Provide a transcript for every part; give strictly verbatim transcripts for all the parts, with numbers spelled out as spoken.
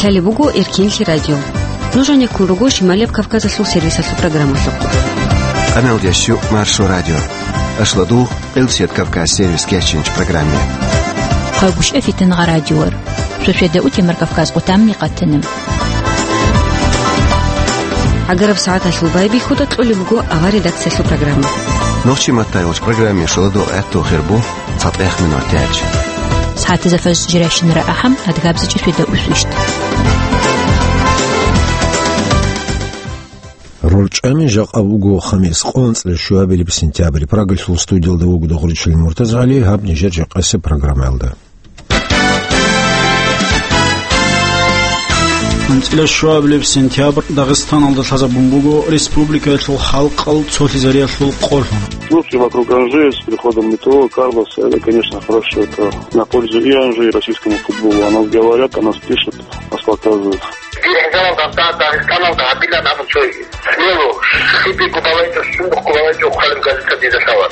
Лъалеб буго Эркенлъи радио. Нуж гьанеккун руго Шималияб Кавказалъул сервисалъул программалъухъ. Къаналдящу Маршо радио. Ашладу Къилсият Кавказ сервис кечинч программе. Хъагушев Фитнагъа радиор. Шошеда утемар Кавказ къутамми къатана. Агараб сагӀаталъул байбихьуда кьолеб буго авар редакциялъул программа. Нохчи маттайгъуч программе шоладу гӀатту хирбу. ЦатӀехъ минут тяч. СагӀатазда фажр жирайщинара ахӀам, адгабзачӀи шведа усвищт. РорчӀами жакъа вуго хамис, къонцӀра щуабилеб сентябрь. Прагалъул студиялда вуго Догъричил МуртазгӀали, гьаб нижер жакъасеб программаялда. АнцӀила щуабилеб сентябрь Дагъистаналда лъазабун буго республикаялъул халкъал цолъизариялъул къолъун. Слухи вокруг Анжи с приходом метео Карлос, это, конечно, хорошо, это на пользу и Анжи, и российскому футболу. О нас говорят, о нас пишут, нас показывают. Дир хӀисабалда Дагъистаналда гьабилан абун цоги. Смело, хибиго балайчӀо, сундухъго балайчӀо, хъалиб газета дида лъала.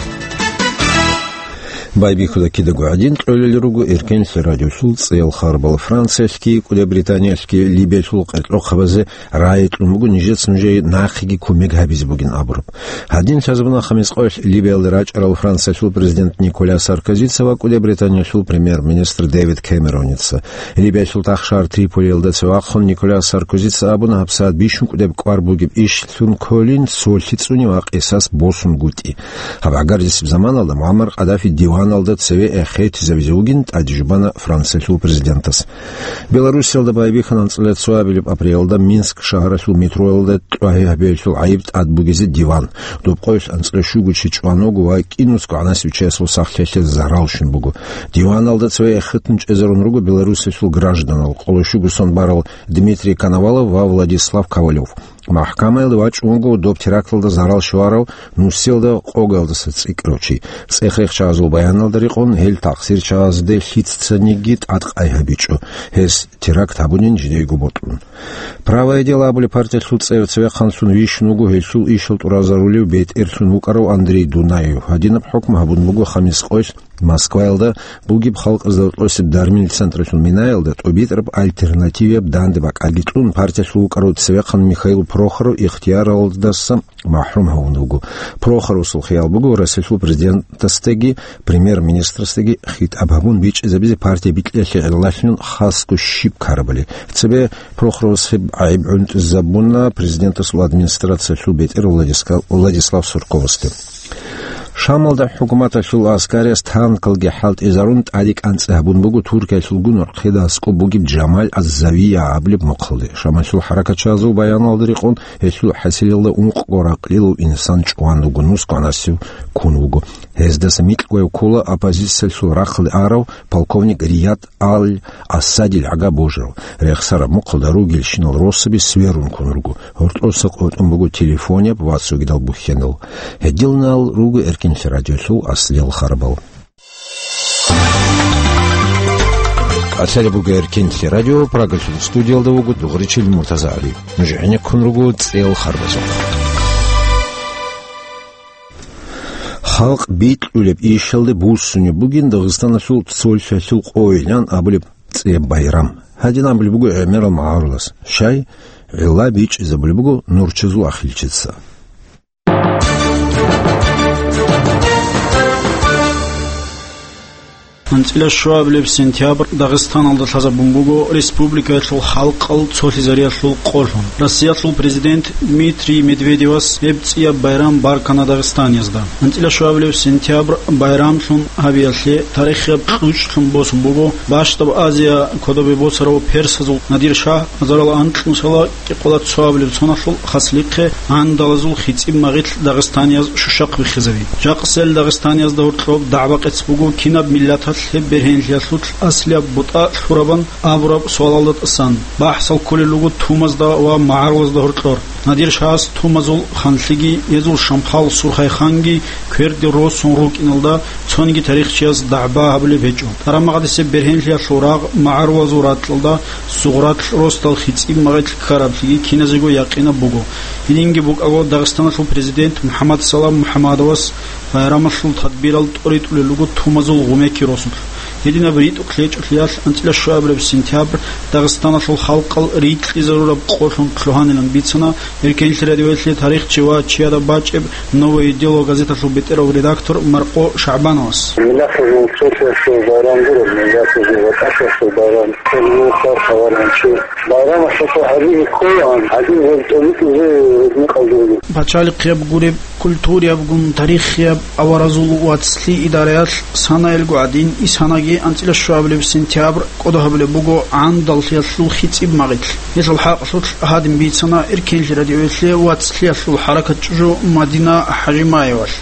Байбихьуда кидаго гӀадин кьолел руго Эркенлъи радиолъул цӀеял харбал. Франциялъги, КӀуди Британиялъги Либиялъул къеркьохъабазе рагӀи кьун буго нижеца нужее нахъеги кумек гьабизе бугин абураб. Гьадин лъазабуна хамис къоялъ Либиялда рачӀарал Франциялъул президент Николя Саркозица ва КӀуди Британиялъул премьер-министр Дэвид Кэмероница. Либиялъул тахшар Триполиялда цевахъун Николя Саркозица абуна гьабсагӀат бищун кӀудеб кӀвар бугеб ишлъун кколин цолъи цӀуни ва къисас босунгутӀи. Гьаб гӀагарлъисеб заманалда Муаммар Къаддафи диваналда цеве эхетизавизе вугин тӀаде жубана Франциялъул президентас. Белоруссиялда байбихьана анцӀила цоабилеб апрелалда Минск шагьаралъул метроялда тӀагьи гьабиялъул гӀайиб тӀад бугезе диван. Доб къоялъ анцӀила щуго чи чӀван вуго ва кӀинусго гӀанасев чиясул сахлъиялъе зарал щун буго. Диваналда цеве эхетун чӀезарун руго Белоруссиялъул гражданал, къоло щуго сон барал Дмитрий Коновалов ва Владислав Ковалев. МахӀкамаялде вачӀун вуго доб теракталда зарал щварав нусиялда къогалдаса цӀикӀкӀарав чи. ЦӀех-рехчагӀазул баяналда рекъон, гьел такъсирчагӀазде лъицаниги тӀадкъай гьабичӀо, гьес теракт гьабунин жидейго бокьун. «Правое дело» абулеб партиялъул цӀер цевехъанлъун вищун вуго гьелъул ишал тӀуразарулев бетӀерлъун вукӀарав Андрей Дунаев. Гьадинаб хӀукму гьабун буго хамис къоялъ Москваялда бугеб халкъазда гьоркьосеб дармил централъул минаялда тӀубитӀараб альтернативияб данде бакӀалги кьун, партиялъул вукӀарав цевехъан Михаил Прохоров ихтияралдаса махӀрум гьавун вуго. Прохоровасул хиял буго Россиялъул президентасдаги премьер-министрасдаги хитӀаб гьабун бичӀчӀизабизе партия бикьиялъе гӀиллалъун хасго щиб ккарабали. Цебе Прохоровас гьеб гӀайиб гӀунтӀизабуна президентасул администрациялъул бетӀер Владиска-, Владислав Сурковасде. Шамалда хӀукуматалъул аскариялъ танкалги хӀалтӀизарун тӀаде кӀанцӀи гьабун буго Туркиялъулгун нурхъеда аскӀоб бугеб Джамал аз-Завия абулеб мухъалде. Шамалъул хӀаракатчагӀазул баяналда рекъон, гьелъул хӀасилалда ункъго ракълилав инсан чӀван вуго, нусго гӀанасев ккун вуго. Гьездаса микьгояв ккола оппозициялъул рахъалде арав полковник Рияд Ал-Асадил гӀага божарав. Рехсараб мухъалда ругелщинал росаби сверун ккун руго. Гьоркьоса къотӀун буго телефонаб ва цогидал бухьенал. Гьединал руго Эркенлъи радиолъул аслиял харбал. Лъалеб буго Эркенлъи радио, Прагалъул студиялда вуго Дугъричил МуртазагӀали. Нуж гӀенеккун руго цӀеял харбазухъ. Халкъ бикьулеб ишалде буссунеб бугин Дагъистаналъул цолъалъул къойилан абулеб цӀияб байрам. Гьадин абулеб буго гӀемерал магӀарулас. Щай? ГӀилла бичӀчӀизабулеб буго нурчазул ахилчица. АнцӀила щуабилеб сентябрь Дагъистаналда лъазабун буго республикаялъул халкъал цолъизариялъул къолъун. Россиялъул президент Дмитрий Медведевас гьеб цӀияб байрам баркана дагъистаниязда. АнцӀила щуабилеб сентябрь байрамлъун гьабиялъе тарихияб кьучӀлъун босун буго БащтӀаб Азия кодобе босарав персазул Надир-шагь азарал анкьнусала кӀикъола цоабилеб соналъул хаслихъе гӀандалазул хицӀиб магъилъ дагъистанияз щущахъ виххизаби. Жакъасел дагъистаниязда гьоркьоб дагӀба-къец буго кинаб миллаталъ гьеб бергьенлъиялъулъ аслияб бутӀа лъурабан абураб суалалда тӀасан. БахӀсал кколел руго тумазда ва магӀарулазда гьоркьор. Надир-шагьас тумазул ханлъиги, гьезул шамхал Сурхайханги кверде росун рукӀиналда цониги тарихчияс дагӀба гьабулеб гьечӀо. Тарамагъадисеб бергьенлъиялъул рагъ магӀарулазул ракьалда Сугъратлъ росдал хицӀиб магъилъ ккараблъиги киназего якъинаб буго. Гьединги букӀаго, Дагъистаналъул президент МухӀаммад Салам МухӀаммадовас байрамалъул тадбирал тӀоритӀулел руго тумазул гъумеки росулъ. Гьединаб ритӀухълъи гьечӀолъиялъ анцӀила щуабилеб сентябрь Дагъистаналъул халкъал рикьизарураб къолъун лъугьанилан бицана Эркенлъи радиоялъе тарихчи ва чияда бачӀеб «Новое дело» газеталъул бетӀерав редактор Маркъо ШагӀбановас. Миллатазул цолъиялъул байрам гуреб, миллатазул ватӀалъиялъул байрам, цолъиялъул хабаранчи. Байрамалъул гьадин ккола, гьадин гьеб тӀолитӀизе гьеб мекъалда. Пачалихъияб гуреб, культуриябгун тарихияб аваразул вацлъи идараялъ санаялго гӀадин, исанаги анцӀила щуабилеб сентябрь кӀодо гьабулеб буго гӀандаллъиялъул хицӀиб магъилъ. Гьелъул хӀакъалъулъ гьадин бицана Эркенлъи радиоялъе вацлъиялъул хӀаракат чӀужу Мадина ХӀажимаевалъ.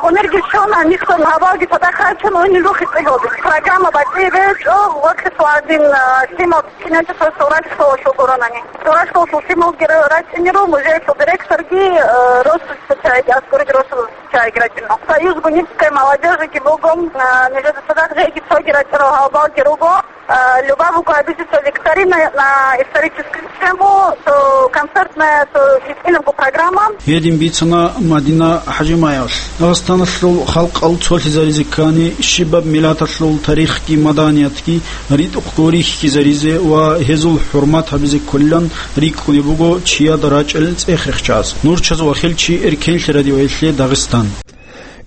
Гьунарги щвана, нилъго гьабалги цадахъ рачун, гьунил рухи цӀигьалде. Программа батӀияб гьечӀо, вацлъиялъул гӀадин, а, лъимал кинечӀо цо сурат школалъул гуронани. Сурат школалъул лъималги ра-, рачӀинеро, музеялъул директорги, а, росулъ чагӀиги, аскӀориги росулъ чагӀиги рачӀинеро. Союз гуниб цӀе молодёжиги буго, а, нижеда цадахъ жеги цоги рачӀарал гьабалги руго. А, любая буго обязательно викторина на историческую тему, то концертная, то лъикӀабго программа. Гьедин бицана Мадина ХӀажимаевалъ. Дагъистаналъул халкъал цолъизаризе ккани, щибаб миллаталъул тарихги маданиятги ритӀухъго рихьизаризе ва гьезул хӀурмат гьабизе кколилан рикӀкӀунеб буго чияда рачӀел цӀех-рехчаз. Нурчаз Вахилчи, Эркенлъи радиоялъе Дагъистан.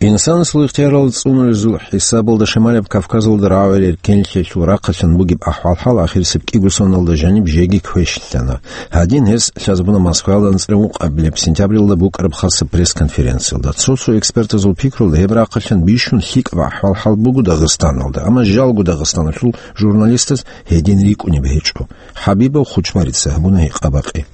Инсанасул ихтиярал цӀунулезул хӀисабалда Шималияб Кавказалда рагӀулел Эркенлъиялъул рахъалъан бугеб ахӀвал-хӀал ахирисеб кӀиго соналда жаниб жеги квешлъана. Гьадин гьес лъазабуна Москваялда анцӀила ункъабилеб сентябрилда букӀараб хасаб пресс-конференциялда. Цо-цо экспертазул пикрулда, гьеб рахъалъан бищун лъикӀаб ахӀвал-хӀал буго Дагъистаналда, амма жалго Дагъистаналъул журналистаз гьедин рикӀкӀунеб гьечӀо. ХӀабибов Хучмарица гьабуна гьикъа-бакъи.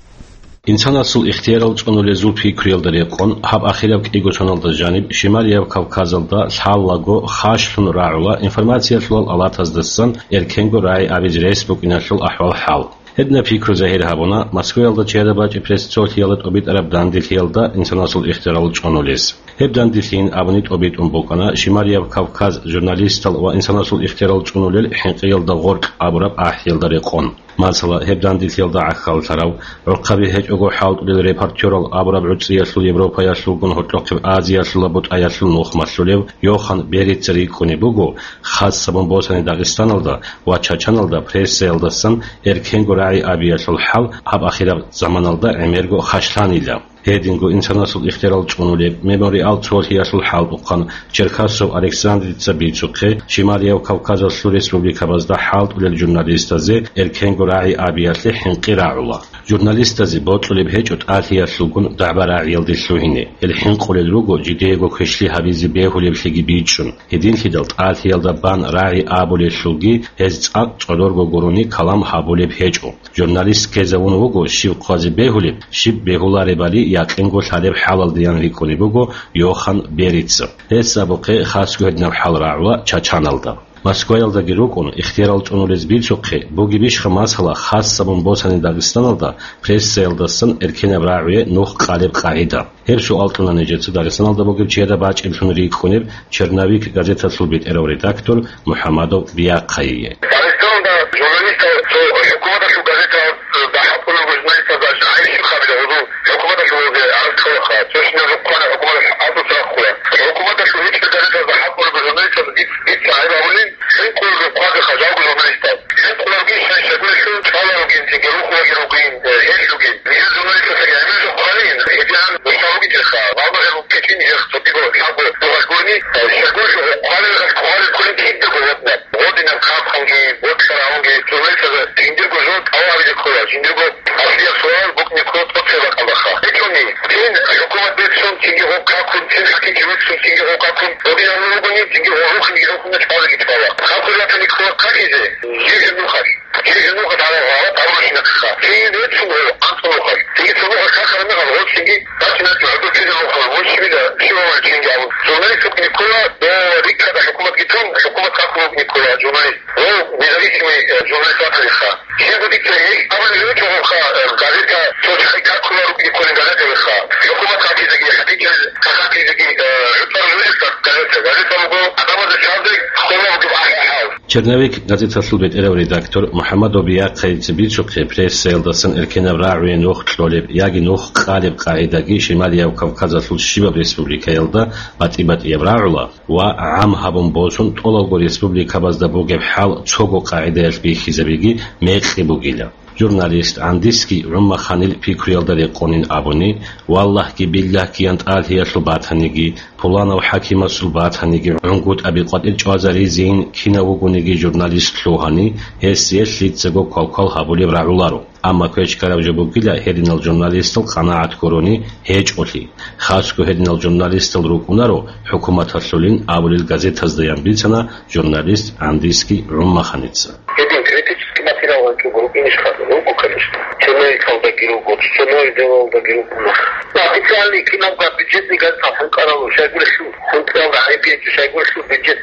Инсанасул ихтиярал цӀунулезул пикруялда рекъон, гьаб ахираб кӀиго соналда жаниб Шималияб Кавказалда лъалаго хашлъун рагӀула информациялъулал алатаздасан эркенго рагӀи абизе рес букӀиналъул ахӀвал-хӀал. Гьединаб пикру загьир гьабуна Москваялда чияда бачӀеб пресс-цолъиялда тӀобитӀараб данделъиялда инсанасул ихтиярал цӀунулез. Гьеб данделъийин абуни тӀобитӀун букӀана Шималияб Кавказ журналистал ва инсанасул ихтиярал цӀунулел хӀинкъиялда гъоркь абураб ахӀиялда рекъон. Масала, гьеб данделъиялда гӀахьаллъарав, гӀурхъаби гьечӀого хӀалтӀулел репортёрал абураб гӀуцӀиялъул Европаялъулгун гьоркьохъеб Азиялъула бутӀаялъул нух малъулев Йохан Берица рикӀкӀунеб буго, хасабун босани Дагъистаналда ва Чачаналда прессаялдасан эркенго рагӀи абиялъул хӀал гьаб ахираб заманалда гӀемерго хашлъанила. Гьединго инсанасул ихтиярал цӀунулеб Мемориал цолъиялъул хӀалтӀухъан Черкасов Александрица бицухъе, Шималияв Кавказалъул республикабазда хӀалтӀулел журналистазе эркенго рагӀи абиялъе хӀинкъи рагӀула. Журналистазе бокьулеб гьечӀо тӀалъиялъулгун дагӀба-рагӀиялде лъугьине. Гьел хӀинкъулел руго жидеего квешлъи гьабизе бегьулеблъиги бичӀчӀун. Гьединлъидал тӀалъиялда бан рагӀи абулелъулги гьез цӀакъ цӀодорго гурони калам гьабулеб гьечӀо. Журналист ккезавун вуго щиб хъвазе бегьулеб, щиб бегьуларебали якъинго лъалеб хӀалалдаян рикӀкӀунеб буго Йохан Берица. Гьес абухъе хасго гьединаб хӀал рагӀула Чачаналда. Москваялдаги рукӀун, ихтиярал цӀунулез бицухъе, бугебищха масала, хасабун босани Дагъистаналда прессаялдасан эркенаб рагӀуе нух къалеб къагӀида? Гьеб суал кьуна нижеца Дагъистаналда бугеб чияда бачӀиблъун рикӀкӀунеб «Черновик» газеталъул бетӀерав редактор МухӀаммадов Биахъайие. Дагъистаналда журналистал цо хӀукуматалъул газетаялда хӀалтӀулел журналистазда жагьил щиб хабила гьудул хӀукуматалъул гьаракь кколаха, цо щинаб жо хъвана хӀукуматалъ гьабуца рахъула. ХӀукуматалъул гьечӀеб газетазда хӀалтӀулел журналистаз диц-, дица гӀайиб гьабулин, хӀинкъулел хъвазе хажалго журналистаз. ХӀинкъуларги шай-шагурелъул чӀваларогин, цинги рухулаги ругин, э, гьелъугин. Нижер журналистасаги гӀемер жо хъвалин, гьедигӀан нуша ругитерха, гьалмагъел руккечӀин гьех цогиго лъабго бугъалгурни, э, щагурелъул хъвалел, хъвалел кколин кидаго гьадинаб. Гъодинаб хъахъунги, бокьарагьунги, журналистазда жиндирго жо тӀалабизе ккола, жиндирго аслияб суал букӀине ккола тӀоцебе бакӀалдаха. ГьечӀони, цин хӀукумат бецун, цинги гъоб какун, цин хӀакимлъи вецун, цинги гъоб какун, гъодинаб ругони, цинги гъоб рухинги рухунна чӀвазеги чӀвала. Хъахъули ратани ккола какизе, жеги нухалъ. Жеги нухалъ гьала гъала гьабурабщинаб ккаха. Цин бецун гъо, анцӀ нухалъ. Цинги цо нухалъ какараб мехалъ гъо цинги бачӀинаб гӀодов ккезе нухалъ, гъо щибила, щибабали цинги абун. Журналист вукӀине ккола, дова риккада хӀукуматги тун, хӀукумат какун вукӀине ккола журналист. Гъо независимый, э, журналист ватаниха. Щибго дица гьел абулеб гьечӀо гъоха, э, газета цо чагӀи какула рукӀине кколин газетаялдеха. ХӀукумат какизеги, хӀакъикъат какизеги, э, гӀуцӀарулеб газета. Газета буго адамазда чӀвазе хъула бугеб ахӀи-хӀал. «Черновик» газеталъул бетӀерав редактор МухӀаммад Обияхъайица бицухъе, прессаялдасан эркенаб рагӀуе нух кьолеб яги нух къалеб къагӀидаги Шималияб Кавказалъул щибаб республикаялда батӀи-батӀияб рагӀула ва гӀам гьабун босун тӀолалго республикабазда бугеб хӀал цого къагӀидаялъ бихьизабиги мекъи бугила. Журналист ГӀандиский ГӀумаханил пикруялда рекъонин абуни, валлагьги-биллагьги янтӀалъиялъул батаниги, пуланав хӀакимасул батаниги, гӀунгутӀаби къватӀир чӀвазаризейин кинав вугониги журналист лъугьани, гьесие лъицаго квалквал гьабулеб рагӀуларо. Амма квечкараб жо бугила гьединал журналистал къанагӀат гурони гьечӀолъи. Хасго гьединал журналистал рукӀунаро хӀукуматалъулин абулел газетазда, ян бицана журналист ГӀандиский ГӀумаханица. Гьедин критический материал ванчӀого рукӀинищха? Руго, конечно. Черновикалдаги руго, цоцоновидалалдаги руго. Официальный кинабго бюджетный газетал хӀинкъарал щайгурелъул, хӀинкъаралда гӀайиб гьечӀо, щайгурелъул бюджет,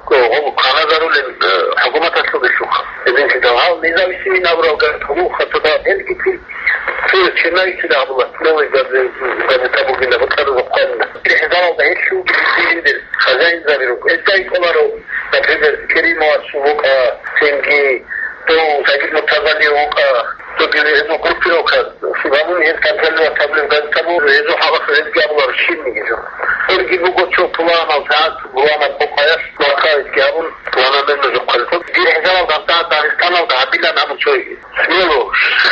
о, гъо-, кваназарулел, э, хӀукуматалъулелъулха. Гьединлъидал гьал независимый набурал газета руха, цо дагьаб гьелгицин, цо черновицин абула, новый газе-, газета бугила, бутӀарузухъанна. БихӀизаралда гьелъулги бицинилдер хозяинзаби руго. Гьезда кӀоларо, например, Керимовасул вукӀа, цинги дов Сагид Муртазалиев вукӀа, цоги гьезул группировка, гьабун гьез контролировать гьабулеб газета буго, гьезул хӀакъалъулъ гьезги абуларо щибниги жо. Гьелги буго цо пуланав сагӀат, пуланаб къокъаялъ маккаялъги гьабун, пуланаб мер нужехъалъ. БихӀизарал гьаб сагӀат Дагъистаналда гьабилан абун цоги. Смело,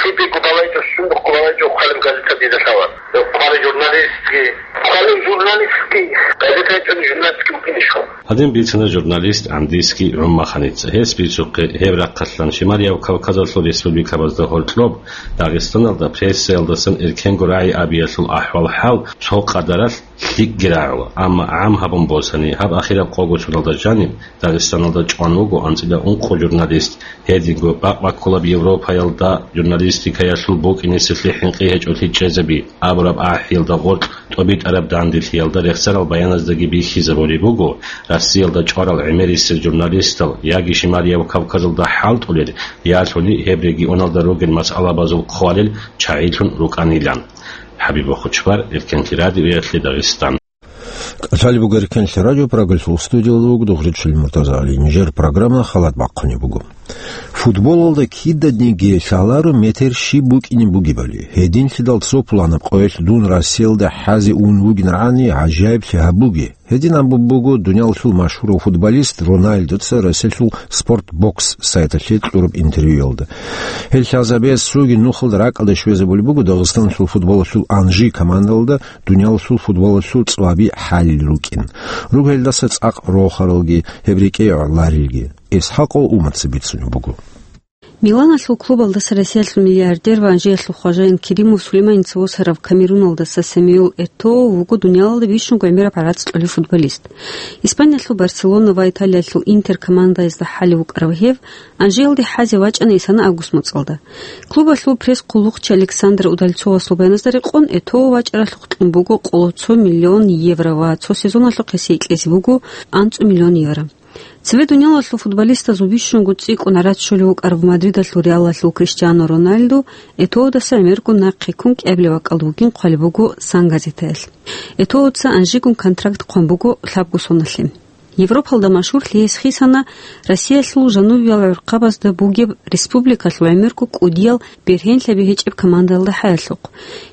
лъикӀго балайчӀо, сундухъго балайчӀо хъвалеб газета дида лъала. Хъвалеб журналистги, хъвалеб журналистги, газета гьечӀони журналистги вукӀинищха? Гьадин бицана журналист ГӀандиский ГӀумаханица. Гьес бицухъе, гьеб рахъалъан Шималияб Кавказалъул республикабазда гьоркьоб Дагъистаналда прессаялдасан эркенго рагӀи абиялъул ахӀвал-хӀал цо къадаралъ лъикӀги рагӀула, амма гӀам гьабун босани, гьаб ахираб къого соналда жаниб Дагъистаналда чӀван вуго анцӀила ункъо журналист. Гьединго бакъ баккулаб Европаялда журналистикаялъул букӀинеселъе хӀинкъи гьечӀолъи чӀезаби абураб ахӀиялда гъоркь тӀобитӀараб данделъиялда рехсарал баяназдаги бихьизабулеб буго, Россиялда чӀварал гӀемерисел журналистал яги Шималияб Кавказалда хӀалтӀулел, ялъуни гьеб регионалда ругел масъалабазул хъвалел чагӀилъун рукӀанилан. ХӀабиб Бохучбар, Эркенлъи радиоялъе Дагъистан. КӀалъалеб буго Эркенлъи радио, Прагалъул студиялда вуго Дугъричил Муртазагьали. Нижер программа халат бахъунеб буго. Футболалда кидадниги лъаларо метер щиб букӀине бугебали. Гьединлъидал цо пуланаб къоялъ дун Россиялда хӀазе ун вугин рани, гӀажаиблъи гьабуге. Гьедин абун буго дуниялалъул машгьурав футболист Роналдуца Россиялъул Спорт Бокс сайталъе кьураб интервьюялда. Гьел лъазабиялъ цоги нухалда ракӀалде щвезабулеб буго Дагъистаналъул футболалъул Анжи командалда дуниялалъул футболалъул цӀваби хӀалил рукӀин. Руго гьелдаса цӀакъ рохаралги, гьеб рекӀее гӀоларилги. Исхакъов Умаца бицунеб буго. Миланалъул клубалдаса Россиялъул миллиардер ва Анжиялъул хважаин Керимов Сулейманица восарав Камеруналдаса Самиул Этоо вуго дуниялалда бищунго гӀемераб гӀарац кьолев футболист. Испаниялъул Барселона ва Италиялъул Интер командаязда хӀалев вукӀарав гьев Анжиялде хӀазе вачӀана исана август моцӀалда. Клубалъул пресс-хъулухъчи Александр Удальцовасул баяназда рекъон, Этоо вачӀаралъухъ кьун буго къоло цо миллион евро ва цо сезоналъухъ гьесие кьезе буго анцӀу миллион евро. Цеве дуниялалъул футболистазул бищунго цӀикӀкӀун гӀарац щолев вукӀарав Мадридалъул Реалалъул Криштиану Роналду Этоодаса гӀемерго нахъе ккун кӀиабилеб бакӀалда вугин хъвалеб буго Сан газетаялъ. Этоодаса Анжигун контракт хъван буго лъабго соналъе. Европалда машгьурлъи гьес хисана Россиялъул жанубиял гӀурхъабазда бугеб республикалъул гӀемерго кӀудиял бергьенлъаби гьечӀеб командалда хӀаялъухъ.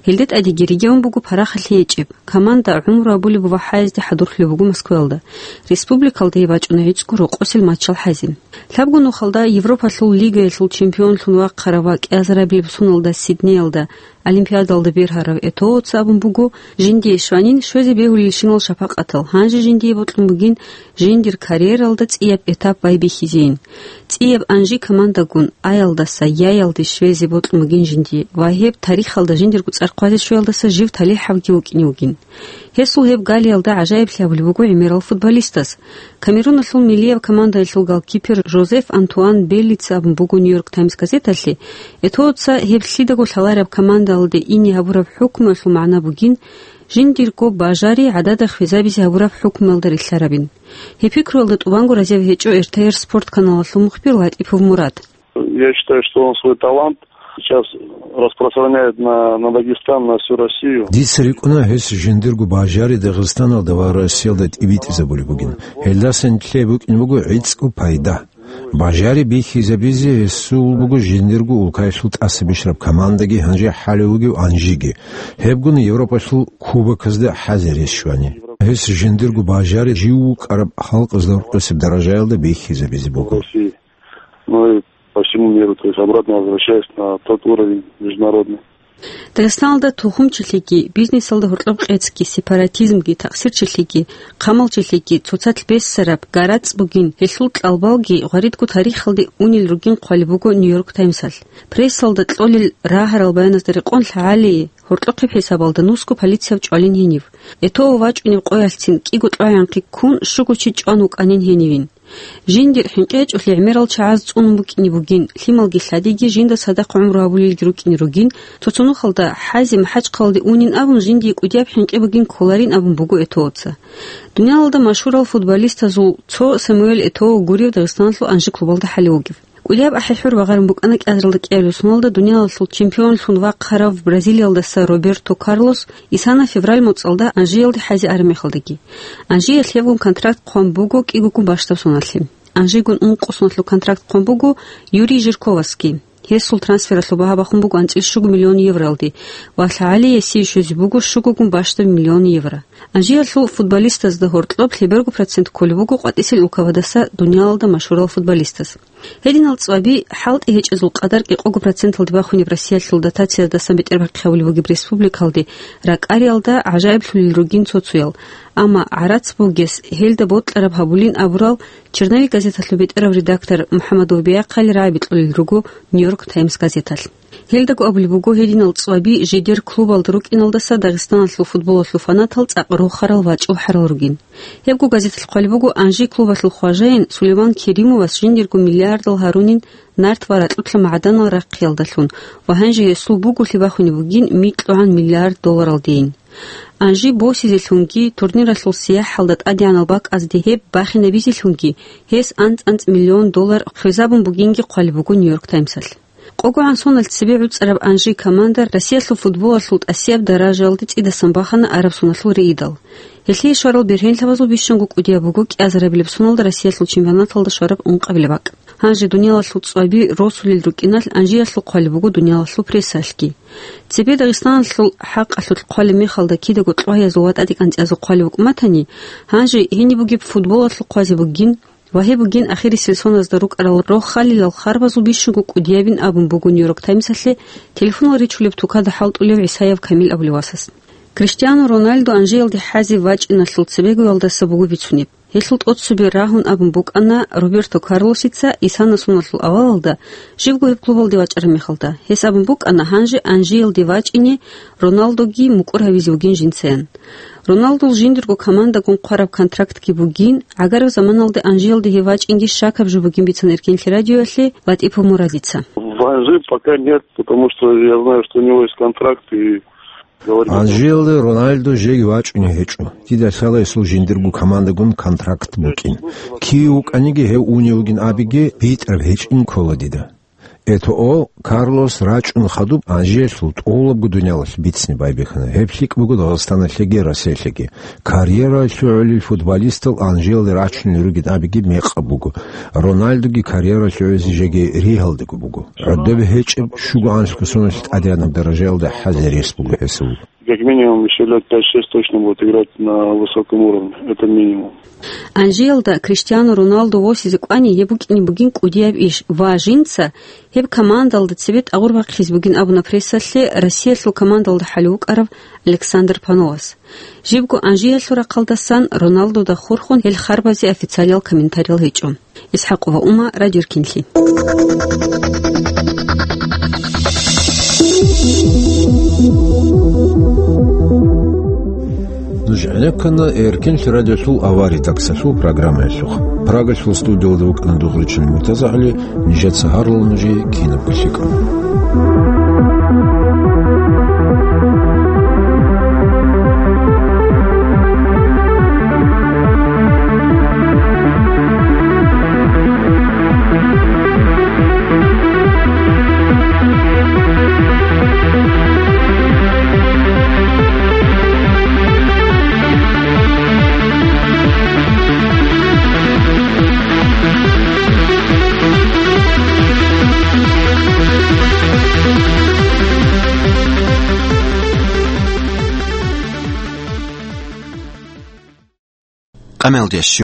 Гьелде тӀадеги регион буго парахалъи гьечӀеб. Команда гӀумру абулеб ва хӀаязде хӀадурлъулеб буго Москваялда. Республикалда гьеб бачӀуна гӀицӀго рокъосел матчал хӀазе. Лъабго нухалда Европалъул лигаялъул чемпионлъун вахъарав ва кӀиазарабилеб соналда Сиднеялда Олимпиадалда бергьарав Этооца абун буго, жиндие щванин щвезе бегьулелщинал шапакъатал, гьанже жиндие бокьун бугин жиндир карьералда цӀияб этап байбихьизейин. ЦӀияб Анжи командагун аялдаса яялде щвезе бокьун бугин жиндие ва гьеб тарихалда жиндирго цӀар хъвазе щвеялдаса жив талихӀавги вукӀине вугин. Гьесул гьеб галиялда гӀажаиблъи гьабулеб буго гӀемерал футболистас. Камеруналъул миллияб командаялъул голкипер Жозеф Антуан Беллица абун буго Нью-Йорк Таймс газеталъе, Этооца гьеб лъидаго лъалареб командалде ине гьабураб хӀукмуялъул магӀна бугин, жиндирго бажари гӀадада хвезабизе гьабураб хӀукмуялда рилълъарабин. Гьеб пикруялда тӀубанго разияб гьечӀо эр тэ эр спорт каналалъул мухбир ЛатӀипов Мурад. Я считаю, что он свой талант сейчас распространяет на, на Дагестан, на всю Россию. Дица рикӀкӀуна гьес жиндирго бажари Дагъистаналда ва Россиялда тӀибитӀизабулеб бугин. Гьелдасан нилъее букӀине буго гӀицӀго пайда. Бажари бихьизабизе гьесул буго жиндирго улкаялъул тӀаса бищараб командаги гьанже хӀалев вугев Анжиги. Гьебгун Европалъул кубоказда хӀазе рес щвани. Гьес жиндирго бажари жив вукӀараб халкъазда рукъисеб даражаялда бихьизабизе буго. России. Ну и по всему миру, то есть обратно возвращаясь на тот уровень международный. Дагъистаналда тухумчилъиги, бизнесалда гьоркьоб къецги, сепаратизмги, такъсирчилъиги, хъамалчилъиги, цоцалъ бессараб, гарацӀ бугин, гьелъул кьалбалги гъваридго тарихалде унел ругин хъвалеб буго Нью-Йорк Таймсалъ. Прессалда кьолел рагьарал баяназда рекъон лъагӀалие, гьоркьохъеб хӀисабалда нусго полицияб чӀвалин гьенив. Этоо вачӀунеб къоялъцин кӀиго кьвагӀанхъи ккун щуго чи чӀван вукӀанин гьенивин. Жиндир хӀинкъи гьечӀолъи гӀемерал чагӀаз цӀунун букӀине бугин, лъималги лъадиги жинда цадахъ гӀумру гьабулелги рукӀине ругин, цо-цо нухалда хӀазе МахӀачхъалалде унин абун жиндие кӀудияб хӀинкъи бугин кколарин абун буго Этооца. Дуниялалда машгьурал футболистазул цо Самуэль Этоо гурев Дагъистаналъул Анжи клубалда хӀалев вугев. КӀудияб ахӀи-хӀур багъарун букӀана кӀиазаралда кӀиабилеб соналда дуниялалъул чемпионлъун вахъарав бразилиялдаса Роберто Карлос исана февраль моцӀалда Анжиялде хӀазе араб мехалдаги. Анжиялъ гьевгун контракт хъван буго кӀигогун бащдаб соналъе. Анжигун ункъо соналъул контракт хъван буго Юрий Жирковасги. Гьесул трансфералъул багьа бахун буго анцӀил щуго миллион евроялде ва лъагӀалиясе щвезе буго щугогун бащдаб миллион евро. Анжиялъул футболистазда гьоркьоб лъеберго процент кколеб буго къватӀисел улкабадаса дуниялалда машгьурал футболистаз. Гьединал цӀваби хӀалтӀи гьечӀезул къадар кӀикъого проценталде бахунеб Россиялъул дотациядасан бетӀербахъи гьабулеб бугеб республикалде ракӀариялда гӀажаиблъулел ругин цо-цоял, амма гӀарац бугес гьелда бокьараб гьабулин абурал черновик газеталъул бетӀерав редактор МухӀаммад Урбияхъали рагӀаби кьолел руго Нью-Йорк Таймс газеталъ. Гьелдаго абулеб буго, гьединал цӀваби жидер клубалда рукӀиналдаса Дагъистаналъул футболалъул фанатал цӀакъ рохарал вачӀул хӀарал ругин. Гьебго газеталъ хъвалеб буго, Анжи клубалъул хважаин Сулейман Керимовас жиндирго миллиардал гьарунин нарт ва ракьулъа магӀаданал рахъиялдалъун ва гьанже гьесул буголъи бахунеб бугин микьгӀан миллиард долларалдейин. Анжи босизелъунги турниралъул сияхӀалда тӀадегӀанал бакӀазде гьеб бахинабизелъунги гьес анцӀ-анцӀ миллион доллар хвезабун бугинги хъвалеб буго Нью-Йорк Таймсалъ. КъогогӀан соналъ цебе гӀуцӀараб Анжи команда Россиялъул футболалъул тӀасияб даражаялде цӀидасан бахана араб соналъул рейдал. Гьелъие щварал бергьенлъабазул бищунго кӀудияб буго кӀиазарабилеб соналда Россиялъул чемпионаталда щвараб ункъабилеб бакӀ. Гьанже дуниялалъул цӀваби росулел рукӀиналъ Анжиялъул хъвалеб буго дуниялалъул прессалъги. Цебе Дагъистаналъул хӀакъалъулъ хъвалеб мехалда кидаго кьвагьазул ва тӀадегӀанцӀиязул хъвалеб букӀун батани, гьанже гьениб бугеб футболалъул хъвазе бугин, ва гьеб бугин ахирисел соназда рукӀарал рохалилал харбазул бищунго кӀудиябин абун буго Нью-Йорк Таймсалъе телефонал ричулеб тукада хӀалтӀулев ГӀисаев Камил абулев васас. Криштиану Роналду Анжиялде хӀазе вачӀиналъул цебегоялдаса буго бицунеб. Гьелъул тӀоцебе рагьун абун букӀана Роберто Карлосица исана соналъул авалалда, живго гьеб клубалде вачӀараб мехалда. Гьес абун букӀана гьанже Анжиялде вачӀине Роналдоги мукӀур гьавизе вугин жинцаян. Роналдул жиндирго командагун хъвараб контрактги бугин, гӀагараб заманалда Анжиялде гьев вачӀинги щакаб жо бугин бицана Эркенлъи радиоялъе Латипов Мурадица. В Анжи пока нет, потому что я знаю, что у него есть контракт, и говорить о том, Анжиялде Роналдо жеги вачӀунев гьечӀо. Дида лъала гьесул жиндирго командагун контракт букӀин. Кив вукӀаниги гьев унев вугин абиги, битӀараб гьечӀин ккола дида. Этоо Карлос рачӀун хадуб Анжиялъул тӀолабго дуниялалъ бицни байбихьана. Гьеб лъикӀ буго Дагъистаналъеги Россиялъеги. Карьера лъугӀулел футболистал Анжиялде рачунел ругин абиги мекъаб буго. Роналдуги карьера лъугӀизе жеги ригьалдаго буго. ГӀодобе гьечӀеб щугоанлъго соналъ тӀадегӀанаб даражаялда хӀазе рес буго гьесул. Как минимум, ещё лет пять-шесть точно будет играть на высоком уровне. Это минимум. Анжиялда Криштиану Роналду восизе кӀвани гьеб букӀине бугин кӀудияб иш ва жинца гьеб командалда цебе тӀагъур бахъизе бугин абуна прессалъе Россиялъул командалда хӀалев вукӀарав Александр Пановас. Жибго Анжиялъул рахъалдасан Роналдуда хурхун гьел харбазе официалиял комментариял гьечӀо. Исхакова Ума, Радио Эркенлъи. Нуж гӀенеккана Эркенлъи радиолъул авария таксалъул программаялъухъ. Прагалъул студиялда вукӀана дугӀричан МуртазагӀли, нижеца гьарла нужее кинабго лъикӀаб. Мелдеш.